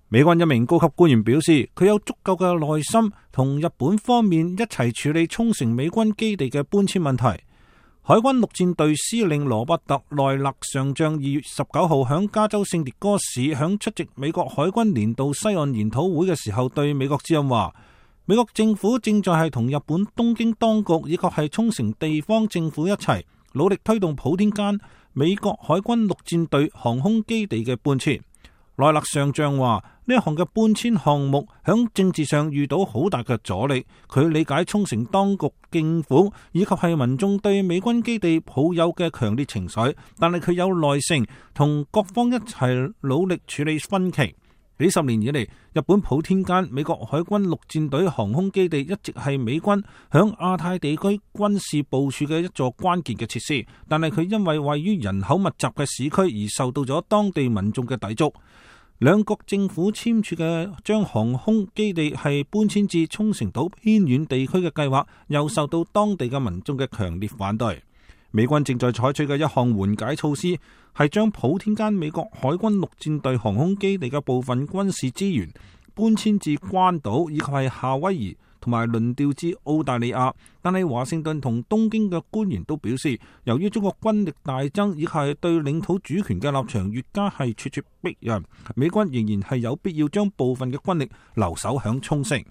美軍一名高級官員表示，佢有足夠嘅耐心同日本方面一齊處理沖繩美軍基地嘅搬遷問題。海軍陸戰隊司令羅伯特奈勒上將2月19號響加州聖迭戈市響出席美國海軍年度西岸研討會嘅時候，對美國之音話，美國政府正在係同日本東京當局以及係沖繩地方政府一齊努力推動普天間美國海軍陸戰隊航空基地嘅搬遷。奈勒上將話，呢一項嘅搬遷項目響政治上遇到好大嘅阻力。佢理解沖繩當局政府以及係民眾對美軍基地抱有嘅強烈情緒，但係佢有耐性同各方一齊努力處理分歧。幾十年以嚟，日本普天間美國海軍陸戰隊航空基地一直係美軍響亞太地區軍事部署嘅一座關鍵嘅設施，但係佢因為位於人口密集嘅市區而受到咗當地民眾嘅抵觸。兩國政府簽署嘅將航空基地係搬遷至沖繩島偏遠地區嘅計劃，又受到當地嘅民眾嘅強烈反對。美軍正在採取嘅一項緩解措施，係將普天間美國海軍陸戰隊航空基地嘅部分軍事資源搬遷至關島以及係夏威夷，同埋輪調至澳大利亞。但係華盛頓同東京嘅官員都表示，由於中國軍力大增，以及係對領土主權嘅立場越加係咄咄逼人，美軍仍然係有必要將部分嘅軍力留守響沖繩。